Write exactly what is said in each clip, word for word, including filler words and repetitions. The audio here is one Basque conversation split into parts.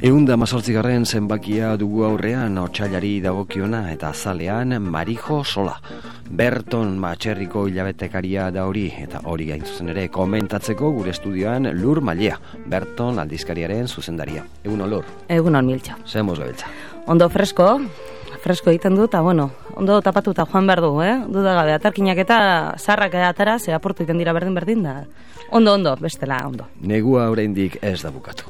Ehunda mazortzigarren zenbakia dugu aurrean, otsailari dagokiona eta azalean Marijo Sola. Berton Matxerriko hilabetekaria da hori, eta hori gain zuzen ere komentatzeko gure estudioan Lur Malea, Berton aldizkariaren zuzendaria. Egun on, Lur? Egun on, Miltxo. Zemoz gabiltza. Ondo fresko, fresko egiten du, eta bueno, ondo tapatuta joan behar du, eh? Dudagabe, atarkinak eta zarrak atara, ze aportu egiten dira berdin-berdin da. Ondo, ondo, bestela, ondo. Negua oraindik ez da bukatu.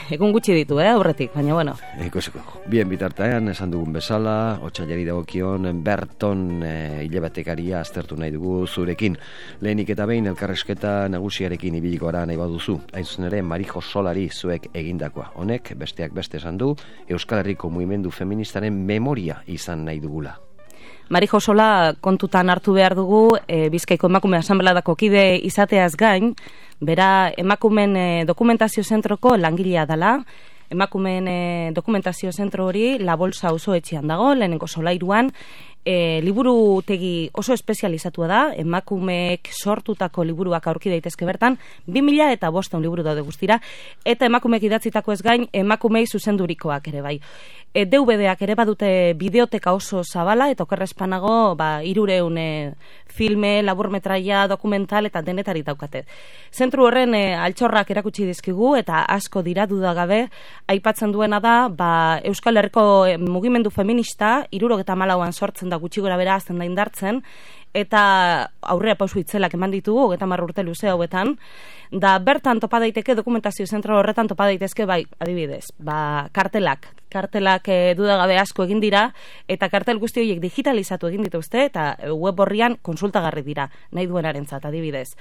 Egun gutxi ditu, eh, aurretik, baina bueno. Ikusiko. Bien bitartean, esan dugun bezala, otsailari dagokion Berton e, hilabetekaria aztertu nahi dugu zurekin. Lehenik eta behin elkarrezketa nagusiarekin ibiliko gara nahi baduzu. Hain zuzen ere, Marijo Solari zuek egindakoa. Honek, besteak beste esan du, Euskal Herriko mugimendu feministaren memoria izan nahi dugula. Marijo Sola kontutan hartu behar dugu, e, Bizkaiko emakume asanbladako kide izateaz gain, bera emakumen e, dokumentazio zentroko langilea dela. Emakumen e, dokumentazio zentro hori La Bolsa oso etxean dago, lehenengo solairuan. E, liburutegi oso espezializatua da, emakumeek sortutako liburuak aurki daitezke bertan, bi mila eta bostehun liburu daude guztira, eta emakumeek idatzitako ez gain, emakumei zuzendurikoak ere bai. E, D V D-ak ere badute bideoteka oso zabala, eta okerrezpanago ba, irureun e, filme, laburmetraia, dokumental eta denetari daukate. Zentru horren e, altxorrak erakutsi dizkigu, eta asko dira dudagabe, aipatzen duena da, ba, Euskal Herriko e, mugimendu feminista, hirurogeta hamalauan sortzen da gutxi gora bera azten da indartzen, eta aurrea pausu itzelak eman ditugu, hogeita hamar urte luze hauetan, da bertan topa daiteke dokumentazio zentro horretan topa daitezke bai, adibidez, ba, kartelak, kartelak e, dudagabe asko egin dira, eta kartel guzti horiek digitalizatu egin dituzte, eta web horrian konsultagarri dira, nahi duenarentzat, adibidez.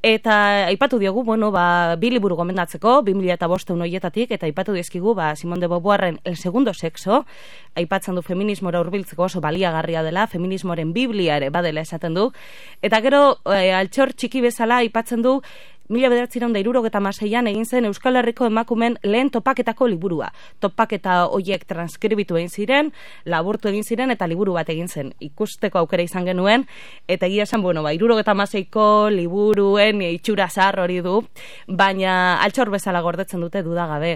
Eta aipatu diogu, bueno, ba, bi liburu gomendatzeko, bi mila eta bostehun horietatik, eta aipatu dizkigu, ba, Simone de Beauvoirren El Segundo Sexo, aipatzen du feminismora hurbiltzeko oso baliagarria dela, feminismoaren biblia ere badela esaten du, eta gero e, altxor txiki bezala aipatzen du, mila bederatziehun eta hirurogeta hamaseian egin zen Euskal Herriko emakumen lehen topaketako liburua. Topaketa horiek transkribitu egin ziren, laburtu egin ziren eta liburu bat egin zen. Ikusteko aukera izan genuen, eta egia esan, bueno, ba, hirurogeta hamaseiko liburuen itxura zahar hori du, baina altxor bezala gordetzen dute dudagabe.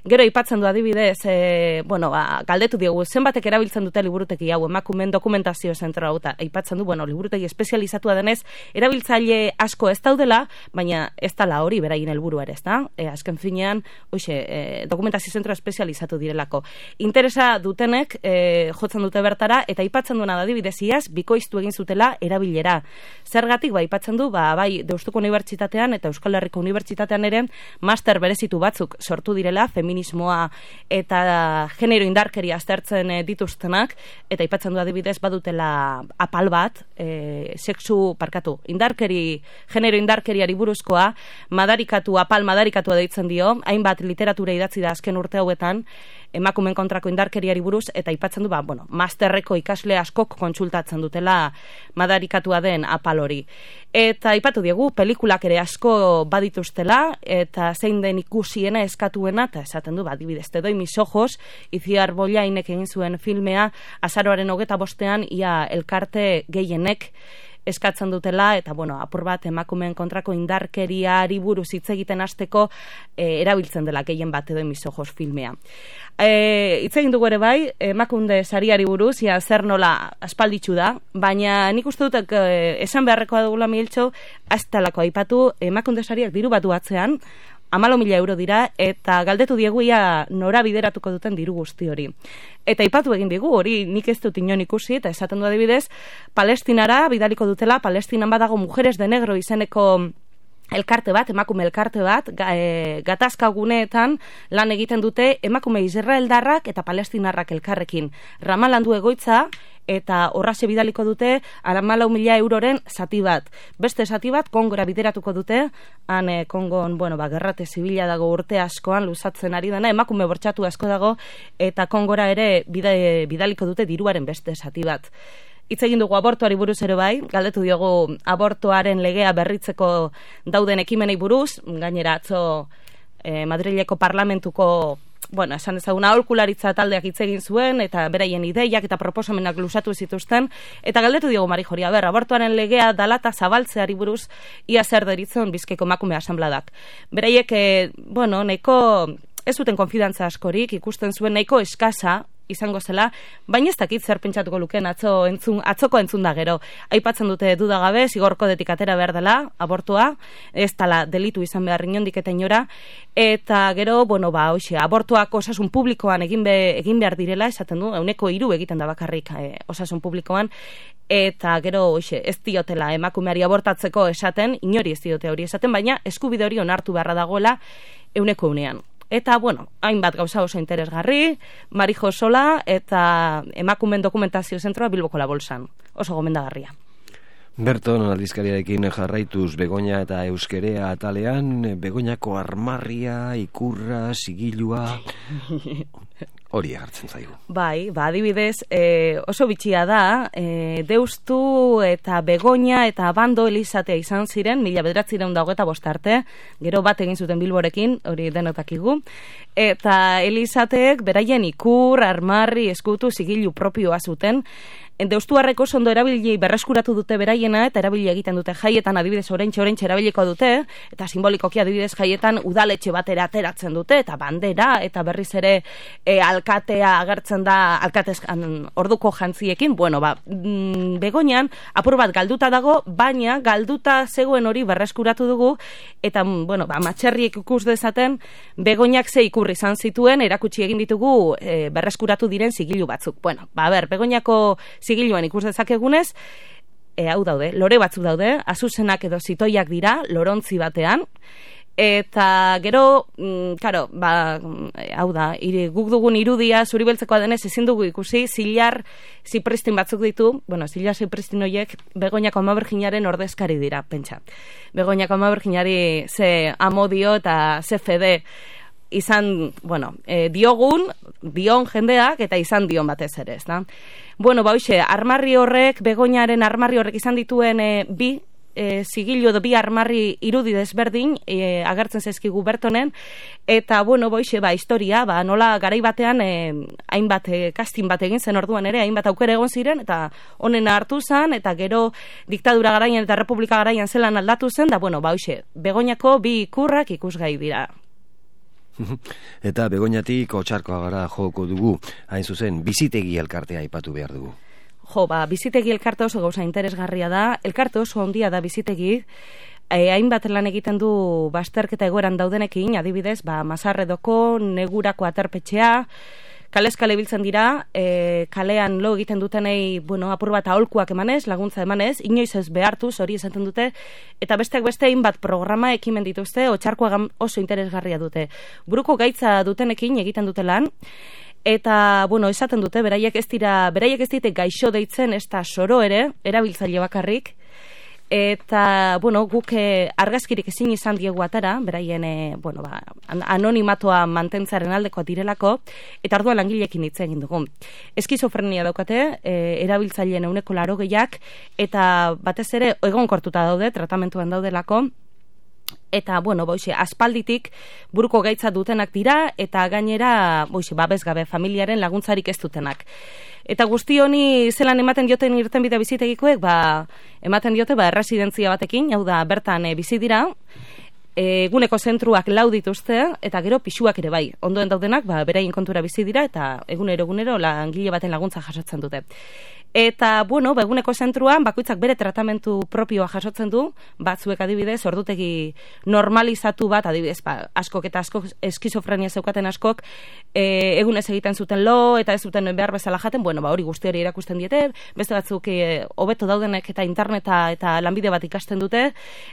Gero aipatzen du adibidez, e, bueno, ba, galdetu diogu, zenbatek erabiltzen dute liburuteki hau, emakumen dokumentazio zentro hau, eta aipatzen du, bueno, liburutegi espezializatua denez, erabiltzaile asko ez daudela, baina ez tala hori beraien helburua ere, ezta? E, azken finean, oixe, e, dokumentazio zentro espezializatu direlako. Interesa dutenek e, jotzen dute bertara, eta aipatzen duena da adibidez iaz, bikoiztu egin zutela erabilera. Zergatik, ba, aipatzen du, ba, bai, Deustuko Unibertsitatean eta Euskal Herriko Unibertsitatean ere, master berezitu batzuk sortu direla, feminismoa eta genero indarkeria aztertzen e, dituztenak, eta aipatzen du adibidez badutela apal bat, e, sexu, parkatu, indarkeri, genero indarkeriari buruzkoa, madarikatu, apal madarikatua deitzen dio, hainbat literatura idatzi da azken urte hauetan, emakumen kontrako indarkeriari buruz, eta aipatzen du, ba, bueno, masterreko ikasle askok kontsultatzen dutela madarikatua den apal hori. Eta aipatu diegu, pelikulak ere asko badituztela, eta zein den ikusiena eskatuena, eta esaten du, ba, adibidez, Te doy mis ojos, Itziar Bollainek egin zuen filmea, azaroaren hogeta bostean, ia elkarte gehienek eskatzen dutela, eta, bueno, apur bat emakumeen kontrako indarkeriari buruz hitz egiten hasteko e, erabiltzen dela gehien bat edo mis ojos filmea. E, hitz egin dugu ere bai, emakunde sariari buruz, ia zer nola aspalditxu da, baina nik uste dut e, esan beharrekoa dugula Miltxo, aztalako aipatu, emakunde sariak diru batu atzean, hamalau mila euro dira, eta galdetu diegu ia nora bideratuko duten diru guzti hori. Eta aipatu egin digu, hori nik ez dut inon ikusi, eta esaten du adibidez, Palestinara bidaliko dutela, Palestinan badago Mujeres de Negro izeneko elkarte bat, emakume elkarte bat, e, gatazka guneetan lan egiten dute emakume israeldarrak eta palestinarrak elkarrekin. Ramalan du egoitza, eta horraxe bidaliko dute hamalau mila euroren zati bat. Beste zati bat Kongora bideratuko dute, han e, Kongon, bueno, ba, gerrate zibila dago urte askoan luzatzen ari dena, emakume bortxatu asko dago, eta Kongora ere bide, bidaliko dute diruaren beste zati bat. Hitz egin dugu abortuari buruz ere bai, galdetu diogu abortuaren legea berritzeko dauden ekimenei buruz, gainera atzo eh, Madrileko parlamentuko, bueno, esan ezaguna aholkularitza taldeak hitz egin zuen, eta beraien ideiak eta proposamenak luzatu zituzten, eta galdetu diogu Marijori, ber, abortuaren legea dalata zabaltzeari buruz, ia zer deritzen Bizkaiko emakume asanbladak. Beraiek, eh, bueno, nahiko ez zuten konfidantza askorik, ikusten zuen nahiko eskasa izango zela, baina ez dakit zer pentsatuko luken atzo entzun, atzoko entzun da gero. Aipatzen dute dudagabe, zigorko detik atera behar dela, abortua, ez dela delitu izan behar inondik eta inora, eta gero, bueno, ba, hoxe, abortuak osasun publikoan egin, be, egin behar direla, esaten du, euneko hiru egiten da bakarrik e, osasun publikoan, eta gero, hoxe, ez diotela emakumeari abortatzeko esaten, inori ez diote hori esaten, baina eskubide hori onartu beharra dagoela euneko unean. Eta, bueno, hainbat gauza oso interesgarri, Marijo Sola eta emakumen dokumentazio zentroa Bilboko La Bolsan. Oso gomendagarria. Berton, aldizkariarekin jarraituz Begoña eta Euskerea atalean, Begoñako armarria, ikurra, sigilua, hori agertzen zaigu. Bai, ba, adibidez, e, oso bitxia da, e, Deustu eta Begoña eta Bando Elizatea izan ziren, mila bederatziehun eta hogeita bost arte, gero bat egin zuten Bilborekin, hori denotakigu, eta Elizateek beraien ikur, armarri, eskutu, sigilu propioa zuten. Deustuarrek oso ondo erabili berreskuratu dute beraiena eta erabili egiten dute jaietan, adibidez oraintxe oraintxe erabiliko dute, eta simbolikoki adibidez jaietan udaletxe batera ateratzen dute, eta bandera, eta berriz ere e, alkatea agertzen da alkatez orduko jantziekin. Bueno, ba, mm, Begoñan apur bat galduta dago, baina galduta zegoen hori berreskuratu dugu, eta bueno, ba, matxerriek ikus dezaten Begoñak ze ikurri izan zituen, erakutsi egin ditugu e, berreskuratu diren zigilu batzuk. Bueno, ba, ber, Begoñako zigiluan ikus dezakegunez, e, hau daude, lore batzuk daude, azuzenak edo zitoiak dira, lorontzi batean, eta gero, mm, karo, ba, hau da, iri, guk dugun irudia, zuri beltzekoa denez ezin dugu ikusi, zilar zipristin batzuk ditu, bueno, zilar zipristin horiek Begoñako Ama Birjinaren ordezkari dira, pentsa. Begoñako Ama Birjinari ze amodio eta ze fede izan, bueno, e, diogun, dion jendeak, eta izan dion batez ere, ez da? Bueno, ba, hoxe, armarri horrek, Begoñaren armarri horrek izan dituen e, bi, e, zigilu edo bi armarri irudi desberdin, e, agertzen zaizkigu Bertonen, eta, bueno, ba, hoxe, ba, historia, ba, nola garai batean, e, hainbat e, casting bat egin zen orduan ere, hainbat aukera egon ziren, eta honena hartu zen, eta gero diktadura garaian eta republika garaian zelan aldatu zen, da, bueno, ba, hoxe, Begoñako bi ikurrak ikusgai dira. Eta Begoñatik Otxarkoa gara joko dugu, hain zuzen, bizitegi elkartea aipatu behar dugu. Jo, ba, bizitegi elkarte oso gauza interesgarria da, elkarte oso handia da bizitegi, e, hainbat lan egiten du bazterketa egoeran daudenekin, adibidez, ba, Mazarredoko, Negurako aterpetxea, kalez kale biltzen dira, e, kalean lo egiten dutenei, bueno, apur bat aholkuak emanez, laguntza emanez, inoiz ez behartuz, hori esaten dute, eta besteak beste hainbat programa ekimen dituzte, Otxarkoa oso interesgarria dute. Buruko gaitza dutenekin egiten dute lan, eta, bueno, esaten dute, beraiek ez dira, beraiek ez dite gaixo deitzen, ez da soro ere, erabiltzaile bakarrik, eta, bueno, guk eh, argazkirik ezin izan diegu atara, beraien, eh, bueno, ba, anonimatoa mantentzaren aldekoa direlako, eta orduan langileekin hitz egin dugu. Eskizofrenia daukate, eh, erabiltzaileen euneko laurogeiak, eta batez ere egonkortuta daude, tratamentuan daudelako, eta, bueno, boixe, aspalditik buruko gaitza dutenak dira, eta gainera, boixe, babesgabe, familiaren laguntzarik ez dutenak. Eta guzti honi zelan ematen dioten irtenbide bizitegikoek, ba, ematen diote, ba, erresidentzia batekin, hau da, bertan e, bizi dira, eguneko zentruak lau dituzte, eta gero pisuak ere bai. Ondoen daudenak, ba, beraien kontura bizi dira, eta egunero egunero langile baten laguntza jasotzen dute. Eta, bueno, eguneko zentruan, bakoitzak bere tratamentu propioa jasotzen du, batzuek adibidez, ordutegi normalizatu bat, adibidez, ba, askok eta askok, eskizofrenia zeukaten askok, e, egunez egiten zuten lo, eta ez zuten behar bezala jaten, bueno, ba, hori guzti hori erakusten diete, beste batzuk hobeto e, daudenek eta interneta eta lanbide bat ikasten dute,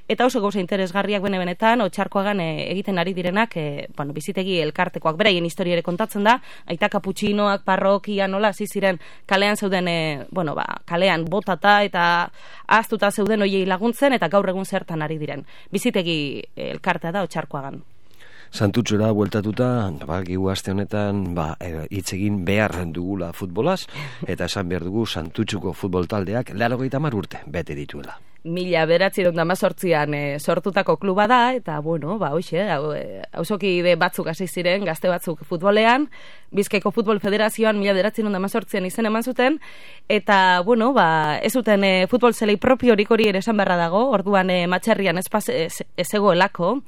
eta oso gauza interesgarriak bene benetan, Otxarkoagan e, egiten ari direnak, e, bueno, bizitegi elkartekoak, beraien historia ere kontatzen da, aita kaputxinoak, parrokia, nola, hasi ziren kalean zeuden, e, bueno, ba, kalean botata eta ahaztuta zeuden hoiei laguntzen, eta gaur egun zertan ari diren. Bizitegi elkartea da Otxarkoagan. Santutxora bueltatuta, bakigu aste honetan, ba, hitz egin behar dugula futbolaz, eta esan behar dugu Santutxuko futbol taldeak laurogeita hamar urte bete dituela. Mila bederatziehun eta hemezortzian e, sortutako kluba da, eta, bueno, ba, hoxe, auzokide batzuk hasi ziren, gazte batzuk futbolean, Bizkaiko Futbol Federazioan mila bederatziehun eta hemezortzian izen eman zuten, eta, bueno, ba, ez zuten e, futbol zelei propiorik hori ere esan beharra dago, orduan e, matxerrian ez, ez, ez egoelako,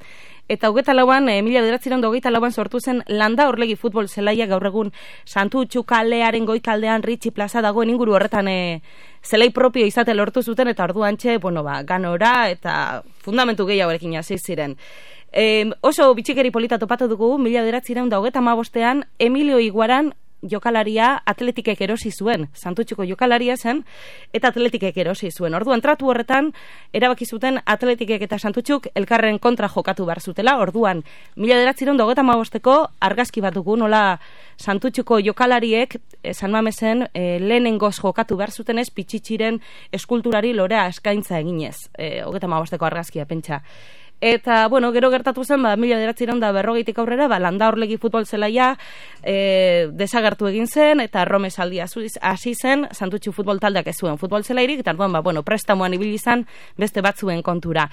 eta hogeita lauan, e, mila bederatziehun eta hogeita lauan sortu zen Landaorlegi futbol zelaia, gaur egun Santutxu kalearen goikaldean Ritxi plaza dagoen inguru horretan e, zelai propio izate lortu zuten, eta orduantxe, bueno, ba, ganora eta fundamentu gehiagorekin hasi ziren. E, oso bitxikeri polita topatu dugu, mila bederatziehun eta hogeita hamabostean Emilio Iguaran jokalaria Atletikek erosi zuen, Santutxuko jokalaria zen, eta Atletikek erosi zuen. Orduan tratu horretan, erabaki zuten Atletikek eta Santutxuk elkarren kontra jokatu behar zutela. Orduan, mila bederatziehun eta hogeita hamabosteko argazki bat dugu, nola Santutxuko jokalariek San Mamesen e, lehenengoz jokatu behar zutenez, Pichichiren eskulturari lorea eskaintza eginez. E, hogeita hamabosteko argazkia, pentsa. Eta, bueno, gero gertatu zen, ba, mila bederatziehun eta berrogeitik aurrera, ba, Landaorlegi futbol zelaia e, desagertu egin zen, eta Romes aldia hasi zen, Santutxu futbol taldeak ez zuen futbol zelairik, eta ba, bueno, prestamoan ibili izan beste batzuen kontura.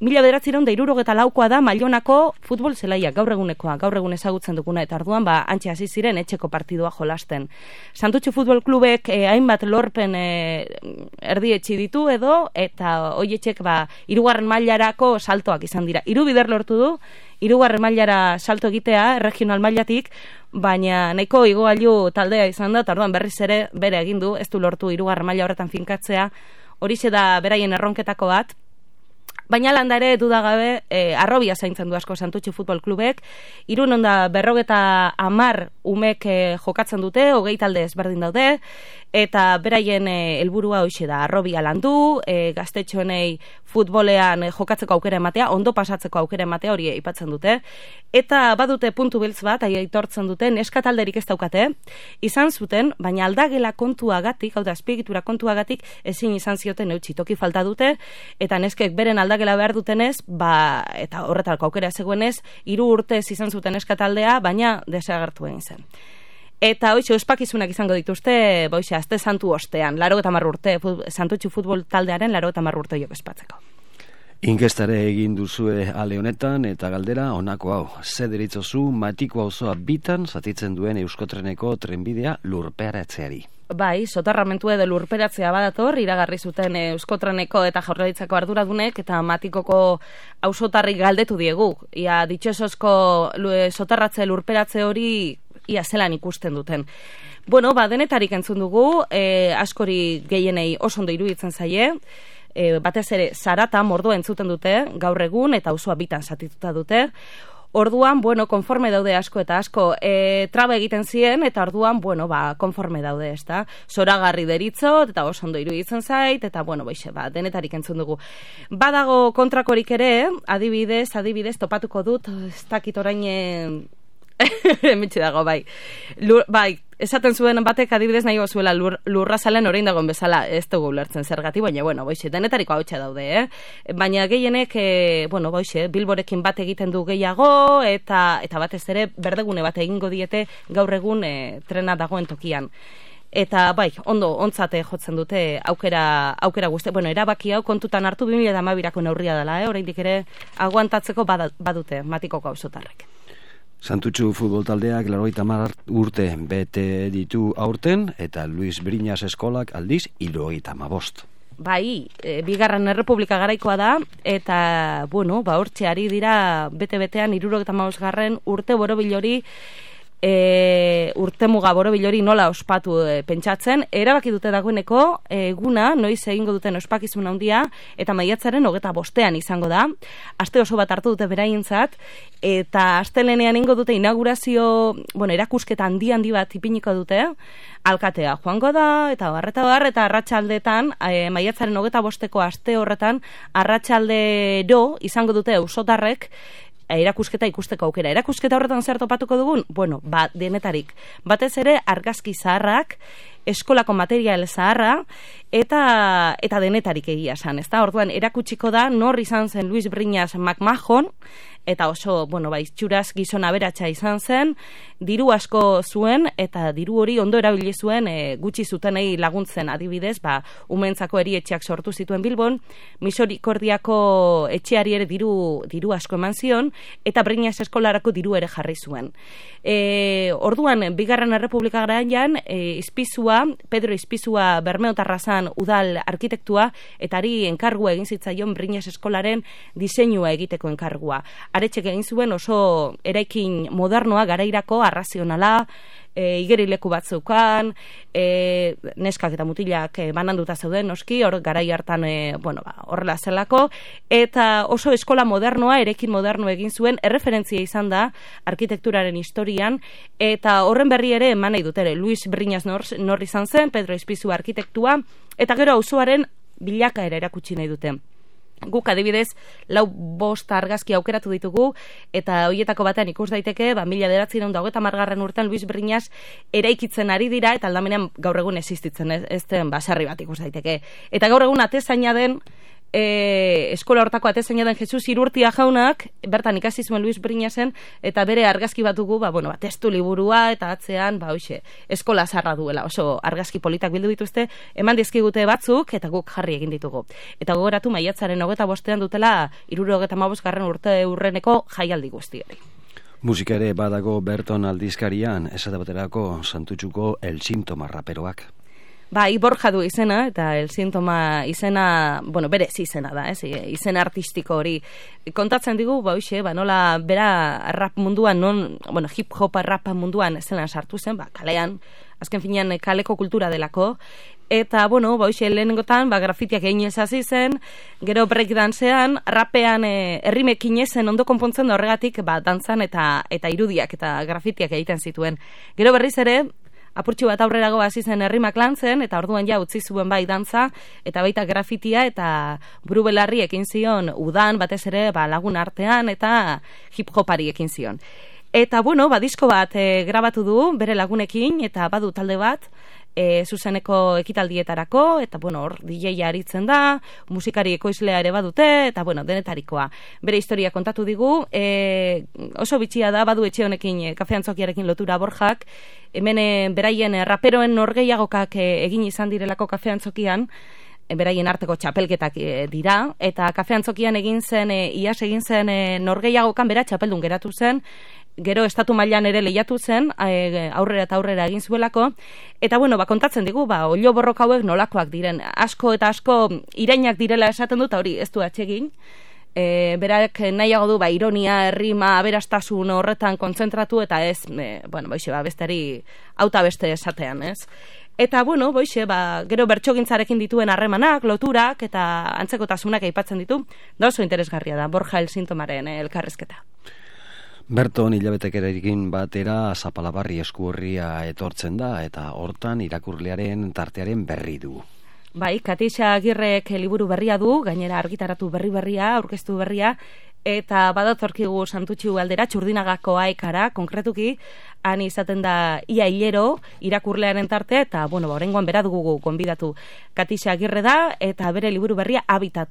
Mila bederatziehun eta hirurogeita laukoa da Mailonako futbol zelaia, gaur egunekoa, gaur egun ezagutzen duguna, eta arduan, ba, antxe hasi ziren etxeko partidua jolasten. Santutxu futbol klubek eh, hainbat lorpen eh, erdietxi ditu edo, eta hoietxek, ba, hirugarren mailarako saltoak izan dira. Hiru bider lortu du, hirugarren mailara salto egitea, regional mailatik, baina nahiko igogailu taldea izan da, eta arduan berriz ere bere egin du, ez du lortu hirugarren maila horretan finkatzea, horixe da beraien erronketako bat. Baina landa ere dudagabe e, arrobia zaintzen du asko Santutxu futbol klubek, irun onda berrogeta amar umek e, jokatzen dute, hogei talde ezberdin daude, eta beraien helburua hoixe da, arrobia landu, e, gaztetxoenei futbolean e, jokatzeko aukera ematea, ondo pasatzeko aukera ematea hori aipatzen dute, eta badute puntu beltz bat, aia aitortzen dute, neska talderik ez daukate, izan zuten, baina aldagela kontuagatik, hau da, azpiegitura kontuagatik, ezin izan zioten eutxi, toki falta dute, eta neskek beren aldagela behar dutenez, ba, eta horretarako aukera zegoenez, hiru urtez izan zuten neska taldea, baina desagertu egin zen. Eta hoxe, ospakizunak izango dituzte, boixe, azte santu ostean, laro eta marru urte, fut, Santutxu futbol taldearen laro eta marru urte jok espatzeko. Inkestare egin duzue ale honetan, eta galdera honako hau. Ze deritzozu Matiko auzoa bitan zatitzen duen Euskotreneko trenbidea lurperatzeari? Bai, soterramentu edo lurperatzea badator, iragarri zuten Euskotreneko eta Jaurlaritzako arduradunek, eta Matikoko auzotarrik galdetu diegu. Ia, ditxosozko soterratze lurperatze hori ia zelan ikusten duten. Bueno, ba, denetarik entzun dugu, e, askori gehienei oso ondo iruditzen zaie, e, batez ere zarata mordoa entzuten dute, gaur egun, eta auzoa bitan zatituta dute. Orduan, bueno, konforme daude asko eta asko, e, traba egiten ziren, eta orduan, bueno, ba, konforme daude, ez da? Zoragarri deritzot, eta oso ondo iruditzen zait, eta, bueno, baixe, ba, denetarik entzun dugu. Badago kontrakorik ere, adibidez, adibidez, topatuko dut, ez dakit orain, emitxe dago, bai. Lur, bai, esaten zuen batek adibidez nahi gozuela lur, lurrazalen orain dagoen bezala, ez dugu ulertzen zergatik, baina, bueno, boixe, denetariko hautsa daude, eh? Baina gehienek, e, bueno, boixe, Bilborekin bat egiten du gehiago, eta eta batez ere, berdegune bat egingo diete gaur egun e, trena dagoen tokian. Eta bai, ondo, ontzate jotzen dute aukera, aukera guzti, bueno, erabaki hau kontutan hartu bi mila hamabirako neurria dela, eh? Oraindik ere aguantatzeko badute Matikoko auzotarrek. Santutxu futbol taldeak laurogeita hamar urte bete ditu aurten, eta Luis Briñas eskolak aldiz hirurogeita hamabost. Bai, e, bigarren errepublika garaikoa da, eta, bueno, ba, hortxe ari dira bete-betean hirurogeita hamabost garren urte borobil hori, E, urtemuga borobil hori nola ospatu e, pentsatzen, erabaki dute dagoeneko eguna, noiz egingo duten ospakizun handia, eta maiatzaren hogeta bostean izango da, aste oso bat hartu dute beraientzat, eta astelenean ingo dute inaugurazio, bueno, erakusketa handi handi bat ipiniko dute, alkatea joango da, eta barreta bar, eta arratsaldetan, e, maiatzaren hogeta bosteko aste horretan, arratsaldero izango dute auzotarrek, erakusketa ikusteko aukera. Erakusketa horretan zer topatuko dugun? Bueno, ba, denetarik. Batez ere, argazki zaharrak, eskolako material zaharra, eta eta denetarik egia esan, ezta? Orduan, erakutsiko da, nor izan zen Luis Briñas McMahon, eta oso, bueno, ba, itxuraz gizon aberatsa izan zen, diru asko zuen, eta diru hori ondo erabili zuen, e, gutxi zutenei laguntzen adibidez, ba, umentzako erietxeak sortu zituen Bilbon, Miserikordiako etxeari ere diru, diru asko eman zion, eta Briñas eskolarako diru ere jarri zuen. E, orduan, bigarren errepublika garaian, e, izpizua, Pedro Izpizua Bermeotarra zan udal arkitektua, eta ari enkargua egin zitzaion Briñas eskolaren diseinua egiteko enkargua. Aretxek egin zuen oso eraikin modernoa, garairako, arrazionala, E, igerileku bat zeukan, e, neskak eta mutilak e, bananduta zeuden noski, hor garai hartan e, bueno, ba, horrela zelako, eta oso eskola modernoa, erekin moderno egin zuen, erreferentzia izan da arkitekturaren historian, eta horren berri ere eman nahi dut ere, Luis Briñas nor, nor izan zen, Pedro Izpizu arkitektua, eta gero auzoaren bilakaera erakutsi nahi dute. Guk adibidez, lau bost argazki aukeratu ditugu, eta horietako batean ikus daiteke, ba, mila bederatziehun eta hogeita hamargarren urtean Luis Briñas eraikitzen ari dira, eta aldamenean gaur egun existitzen, ez, ez den baserri bat ikus daiteke. Eta gaur egun atezaina den, e, eskola hortako atezaina den Jesus Irurtia jaunak, bertan ikasi zuen Luis Briñasen, eta bere argazki bat dugu, ba, bueno, ba, testu liburua, eta atzean, ba, hoxe, eskola zarra duela, oso argazki politak bildu dituzte, eman dizkigute batzuk, eta guk jarri egin ditugu. Eta gogoratu maiatzaren hogeta bostean dutela, iruro hogeta mabosgarren urte urreneko jaialdi guztiari. Musika ere badago Berton aldizkarian, esate baterako Santutxuko El Sintoma raperoak. Ba, Borja du izena, eta El Sintoma izena, bueno, berez izena da, ez, izena artistiko hori. Kontatzen digu, ba, hoxe, ba, nola, bera rap munduan, non, bueno, hip-hop rap munduan zelan sartu zen, ba, kalean, azken finean kaleko kultura delako, eta, bueno, ba, hoxe, lehenengotan, ba, grafitiak egin ezazi zen, gero breakdancean, rapean e, errimekin ezen ondo konpontzen da horregatik, ba, dantzan eta, eta irudiak eta grafitiak egiten zituen. Gero berriz ere, apurtxu bat aurrerago hasi zen herrimak lan zen, eta orduan ja utzi zuen bai dantza, eta baita grafitia, eta buru belarri ekin zion udan, batez ere ba, lagun artean, eta hip-hopari ekin zion. Eta, bueno, ba, disko bat e, grabatu du, bere lagunekin, eta badu talde bat, e, zuzeneko ekitaldietarako, eta, bueno, hor, D J aritzen da, musikari ekoizlea ere badute, eta, bueno, denetarikoa. Bere historia kontatu digu, e, oso bitxia da, badu etxe honekin, e, kafeantzokiarekin lotura Borjak, hemen e, beraien e, raperoen norgeiagokak e, egin izan direlako kafeantzokian, e, beraien arteko txapelketak e, dira, eta kafeantzokian egin zen, e, iaz egin zen e, norgeiagokan bera txapeldun geratu zen, gero estatu mailan ere lehiatu zen, aurrera eta aurrera egin zuelako, eta bueno, ba, kontatzen digu, ba, olio borroka hauek nolakoak diren, asko eta asko irainak direla esaten dut, hori ez du atsegin, e, berak nahiago du, ba, ironia, errima, aberastasun horretan kontzentratu, eta ez, e, bueno, boixe, ba, besteri auta beste esatean, ez? Eta, bueno, boixe, ba, gero bertxogintzarekin dituen harremanak, loturak, eta antzekotasunak aipatzen ditu, da oso interesgarria da, Borja El Sintomaren elkarrezketa. Berton hilabetekerekin batera Zapalabarri eskuorria etortzen da, eta hortan irakurlearen tartearen berri du. Bai, Katixa Agirrek liburu berria du, gainera argitaratu berri berria, aurkeztu berria, eta badatorkigu Santutxu aldera, Txurdinagako aekara, konkretuki, han izaten da ia hilero irakurlearen tartea, eta, bueno, ba, oraingoan bera dugu gonbidatu. Katixa Agirre da, eta bere liburu berria Habitat.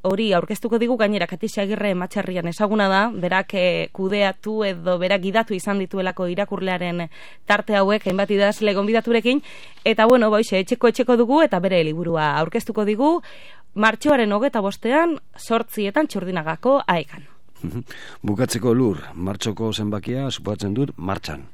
Hori aurkeztuko digu, gainera Katixa Agirre Matxarrian ezaguna da, berak kudeatu edo berak gidatu izan dituelako irakurlearen tarte hauek, hainbat idazle gonbidaturekin, eta bueno, boixe, etxeko etxeko dugu, eta bere liburua aurkeztuko digu, martxoaren hogeta bostean, sortzietan Txurdinagako aekan. Bukatzeko Lur, martxoko zenbakia, suposatzen dut, martxan.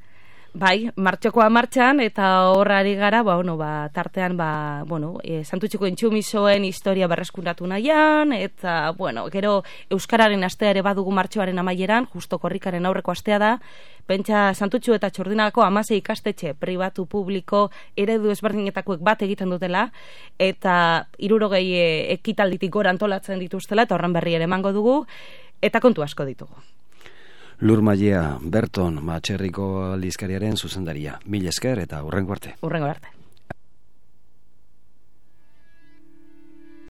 Bai, martxokoa martxan, eta horrari gara, ba, bueno, ba, tartean, ba, bueno, e, Santutxuko intsumisoen historia berreskuratu nahian, eta, bueno, gero Euskararen astea ere badugu martxoaren amaieran, justo korrikaren aurreko astea da, pentsa Santutxu eta Txurdinagako hamasei ikastetxe, pribatu, publiko, eredu ezberdinetakoek bat egiten dutela, eta hirurogei e, ekitalditik gora antolatzen dituztela, eta horren berri ere emango dugu, eta kontu asko ditugu. Lur Mailea, Berton, Matxerriko aldizkariaren zuzendaria. Mil esker eta hurrengo arte. Hurrengo arte.